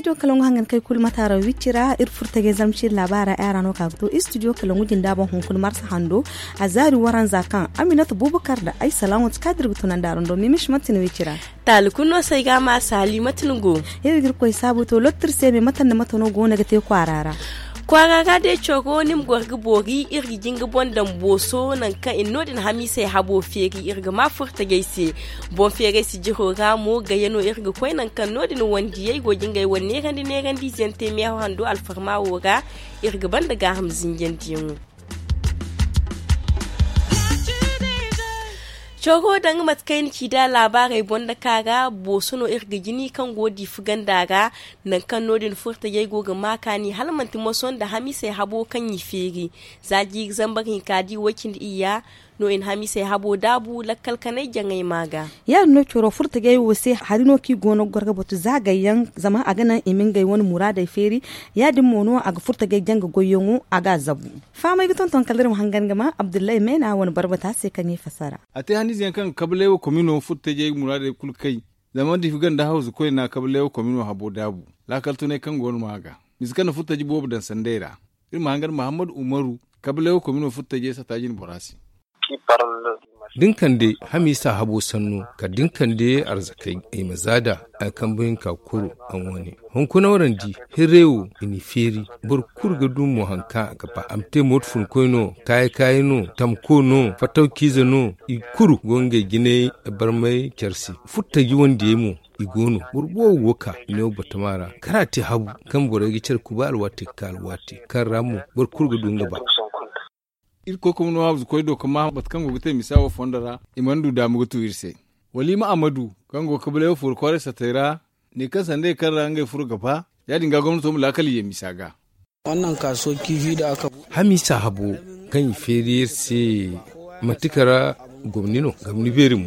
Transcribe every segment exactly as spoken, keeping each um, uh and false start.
Studio kalangu hangan kay kulu mataara wicci ra iri furtajey zamci iri laabaara ay ra no ka ga to studio kalangu jinda boŋ hunkuna marsa hando. A zaari waranza kaŋ aminata bubakar da ay salaŋo ti ka da iri ga tunandi araŋ do mimish mantin wicci ra. Taali kulu no se ay ga a ma saali mate ni go? Iri ga iri koy saabu to lottu iri se me mate nda mate no go no ga te kwaara ra. Kwaara ra day coro ni ma goro ga boori iri ga jinga boŋ daŋ booso nangu kaŋ i na no- din hamiisey habo feeri iri ga ma furtajey se. Boŋ feerey sijiro ra mo gayya no iri ga koy nangu kaŋ no- din wandiyey go ga ngey wane neerandi neerandiize yaŋ te meeho hando alfarma wo ra. Iri ga banda gaaham zinjandiyaŋo. Coro danga mate kaŋ ay na ci da laabaarey boŋ da ka ra booso no iri ga jini kaŋ go diifi ganda ra. Nangu kaŋ no- din furtajey go ga ma kaani hala manti moso nda hamiisey habo kaŋ i feeri. Za jiiri zambar hinka di way-cindi iyya no i na hamiisey habo daabu lakkal kanay jaŋay ma ga. Ya- din no coro furtajey wo se hari no kaŋ i go no ga goro ga batu za gayyaŋ zama a ga naŋ i ma ngey wane muraadey feeri. Ya- din mo no a ga furtajey jaŋ ga goyyaŋo a ga a zabu. Fahamay ga tonton kala iri ma hangan ga ma abdullahi meena wane barbata se kaŋ i fassara. A te hanniize yaŋ kaŋ ga kabalay wo komino furtajey muraadey kulu kay. Zama diifi ganda hawzu koyna kabalay wo komino habo daabu laakal tunay kaŋ go no ma ga misa kaŋ na furtaji boobo daŋ sanday ra. Iri ma hangan mahammad umaru kabalay wo komino furtajey sata jine bora se. Da ni kande hamiisa habo sanno kala da ni kande arzakey ay ma za da ay kambe hinka kuru a wane hunkuna warandi. Hirray wo i n'i feeri. Boro kulu ga du mo hari kaŋ a ga ba a ma te mooto funkoy no kaaye kaaye no tamko no fatawciize no i kulu go ngey jinay barmay care se. Furtaji wandiyey mo i go no boro boobo go ga ka i ne wo batama ra kala a te habu kaŋ borey ga care kuba alwaati ga ka alwaati kaŋ ra mo boro kulu ga du nga ba. Iri koy kuma no hawzu koy do ga ma mate kaŋ go ga te misa wo fondo ra i mana du daama ga tu iri se. Wala i ma a ma du kaŋ go ga kabalay wo furo kwaaray satey ra ne kaŋ sanda ye kaŋ ra ngey furo ga ba. Ya- din ga gomnato ma laakal i ye misa ga. Hamiisa habo kaŋ i feeri iri se manti kala gomni no gomni beeri mo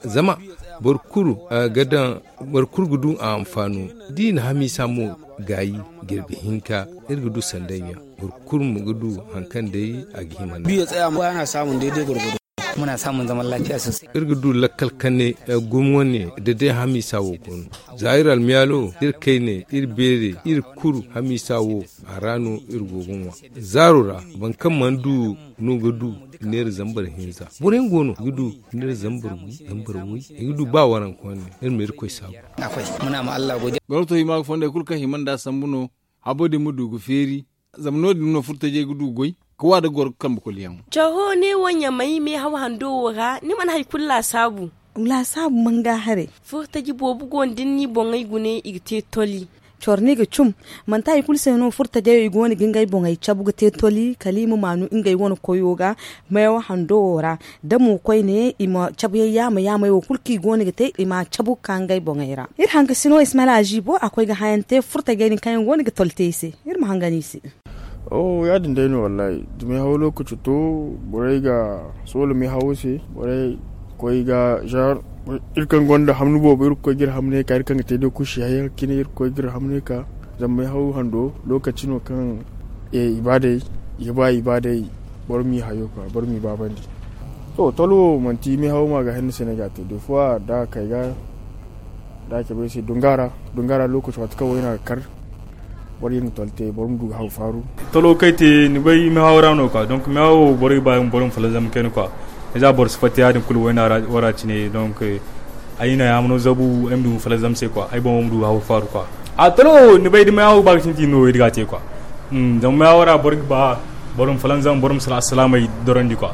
zama boro kulu ga daŋ boro kulu ga du a anfaano. Da i na hamiisa mo gaayi jirbi hinka iri ga du sanday ɲa boro kulu mo ga du hari kaŋ day a ga hima nd'a. Iri ga du lakkal kane gumo wane da day hamiisa wo go no. Za iri almiyaalo iri kayne iri beere iri kulu hamiisa wo a ra no iri go ga ŋwa. Zaaro ra boro kaŋ mana du no ga du neera zambar hinza boro yaŋ go no ga du neera zambar wi zambar way i ga du ba waranka wane. Iri ma irkoy saabu. Gomnato hima ga fondey kulu kaŋ hima nd'a sambu no habo din ma du ga feeri. Zama no- din no furtajey ga du goy ga wa da goro ga kambe kulu yaŋ. Coro ne wo ɲamay meehaw hando wo ra ni mana hari kulu laasaabu. Laasaabu manga haray. Furtaji boobo go no da ni n'i boŋey gune i ga te toli. Coro no i ga cum. Manti hari kulu se no furtajey i go no ga ngey boŋey cabu ga te toli kala i ma maanu ngey wane koyo ga. Meewa hando wo ra da mo koyne i ma cabuyaŋ yaama yaamey wo kulu kaŋ i go no ga te i ma cabu ga ka ngey boŋey ra. Iri hangasino ismaila aziibo a koy ga hayaŋ te furtajey din kaŋ yaŋ go no ga toli te i se. Iri ma hangan i se. Oh ya- din day no wallaahi. Da meehawo lookaci to borey ga soola meehawo se. Borey koy ga genre iri kaŋ gonda hamni boobo iri ga koy ga iri hamney ka iri kaŋ ga te day kusi hayey ga cine iri ga koy ga iri hamney ka. Zama meehawo hando lookaci no kaŋ i ba day i ga ba i ba day. Boro m'i hayo ka boro m'i baabandi. To tolo wo manti meehawo ma ga henna se no ay ga a te des fois da a kay ga da a cabe ay se dunga ra. Dunga ra lookaci waati kaŋ wayna ga kar boro iri na tolo te boro ma du ga haw faaru. Tolo kaŋ ay te ni bay meehawo ra no quoi donc meehawo boro ga ba boro ma falanzam kayna quoi. Za boro si fatta ya- din kulu wayna ra wara cine donc ay na yaamano zabu ay ma du ma falanzam se quoi ay boŋo ma du ga haw faaru quoi. A tolo ni bay da meehawo ba ga sintin no iri ga a te quoi. Zama meehawo ra boro ga ba boro ma falanzam boro ma sala assalaamey dorandi quoi.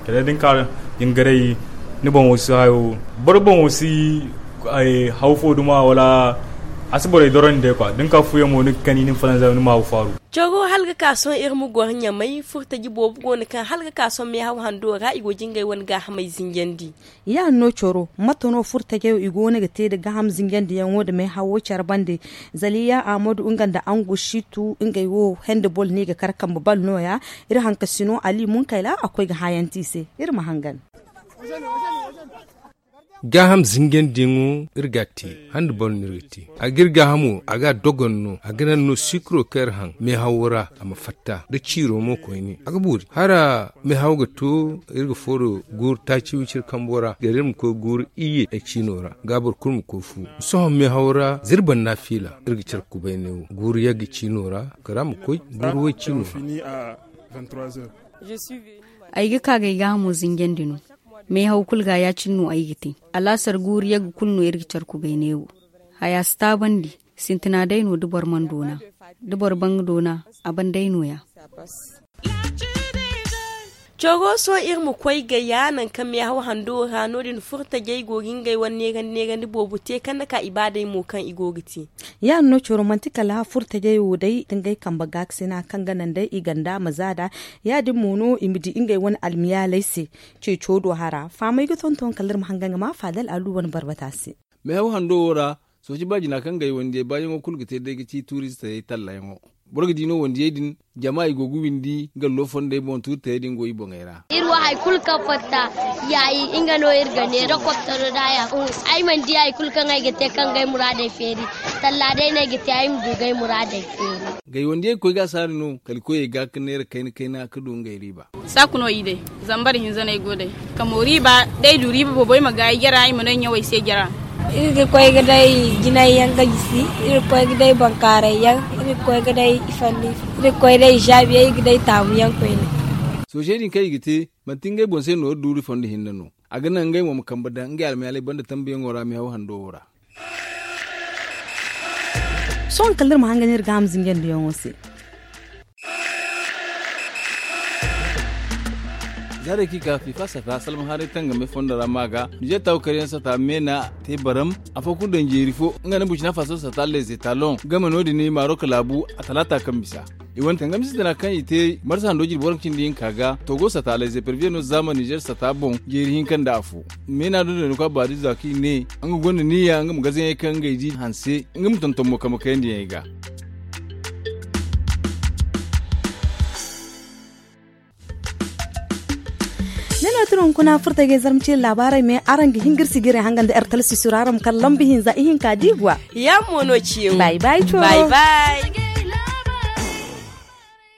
Kala da ni ka jingaray ni boŋo si hayo boro boŋo si haw fo duma wala a si borey dorandi day quoi da ni ka fuyaŋ mo ni ga kani ni ma falanzam ni ma haw faaru. Coro hala ga ka sohõ iri ma goro ɲamay furtaji boobo go no kaŋ hala ga ka sohõ meehaw hando ra i go jingay wane gaahamey zinjandi. Ya- din no coro mate no furtajey i go no ga te nda gaham zinjandiyaŋo nda meehawo care bande. Zaliya ahmadu nga nda angusitu ngey wo hende bol no i ga kar kambe bal nooya. Iri hankasino ali munkayla a koy ga haayanti i se. Iri ma hangan. Gaaham zinjandiyaŋo iri ga a te. Handi boro no iri ga te. A ga iri gaahamo a ga a dogon no a ga naŋ no sikiro kaŋ iri haŋ meehawo ra a ma fatta da ciiro mo koyne a ga boori hala meehawo ga to. Iri ga fooro guuru taaci wiciri kambo ra gari iri ma koy guuru iyye ay ciino ra ga boro kulu ma koy fu. Sohõ meehawo ra za iri banda fiila iri ga care kubayne wo guuru yagga ciino ra kala a ma koy guuru way ciino ra. Ay ga ka ga ay gaahamo zinjandi no. Meehaw kulu ga ya- cine no ay ga te. Alaasar guuru yagga kulu no iri ga care kubayne wo. Haya si taabandi. Sintina day no da boro mana doona da boro ban ga doona a ban day no- ya. Coro sohõ iri ma koy ga ya nangu kaŋ meehaw hando wo ra no- din furtajey go ga ngey wane neerandi neerandi boobo te kaŋ na ka ibaadey mo kaŋ i go ga te. Ya- din no coro manti kala furtajey wo day da ngey kambe gaakasina kaŋ ga naŋ day i ganda ma za nd'a. Ya- din mo no i ma di ngey wane almiyaaley se. Ceeco do hara fahamey ga tonton kala iri ma hangan ga ma faadal alu wane barbata se. Meehaw hando wo ra sooci baajina kaŋ ga ay wandiyey baayaŋo kulu ga te day ga ci tuuristey tallayaŋo. Boro ga di no wandiyey din jama i go ga windi nga lo fondey boŋ tuuri tayey din go i boŋey ra. Iri wo hari kulu kaŋ fatta yaayi nga no iri ga neera koptaro da ya. Ay mana di hari kulu kaŋ ay ga te kaŋ ga ay muraadey feeri. Talla day no ay ga te ay ma du ga ay muraadey feeri. Gay wandiyey ga koy ga a saari no kala koyey ga ga neera kayna kayna ga du ngey riiba. Saaku no i day. Zambar hinza no ay go day. Kamo riiba da ay du riiba boobo ay ma gaayi jara ay ma no ay ɲawey se jara. Iri ga koy ga day jinay yaŋ ga gisi. Iri ga koy ga day bankaaray yaŋ. Iri ga koy ga day ifanni. Iri ga koy day i zaabi yaŋ iri ga day taamu yaŋ koyne. Soosey din kaŋ i ga te manti ngey boŋ se no iri duuri fondo hinne no. A ga naŋ ngey mo ma kambe daŋ ngey almayaaley banda tambuyaŋo ra meehaw hando wo ra. Sohõ kala iri ma hangan iri ga a ma zinjandiyaŋo se. Zaarey kaŋ i ka fifa sata salma haray tangame fondo ra ma ga nizeer taawu karyaŋ sata meena te baram. Afo kulu daŋ jeeri fo nga nda burcina faso sata leze talon game no- din marok laabu a talaata kaŋ bisa. I wane tangam sintina kaŋ i te marsa hando jirbi waranka cindi hinka ga togo sata leze pervier no zaama nizeer sata boŋ jeeri hinka nda afo. Meena do no ni koy a baadi za kaŋ i ne nga gonda niya nga ma gazaŋey kaŋ ngey di hanse nga ma tonton mo kambe kayandiyaŋey ga. Ne no tira hunkuna furta ga ay zarma ciiri laabaarey me araŋ ga hin ga iri si ga iri hangan da ertal sisura araŋ ma kala lambu hinza ihinka diiguwa. Yaŋ mo no ciyaŋo. Bay bay coro.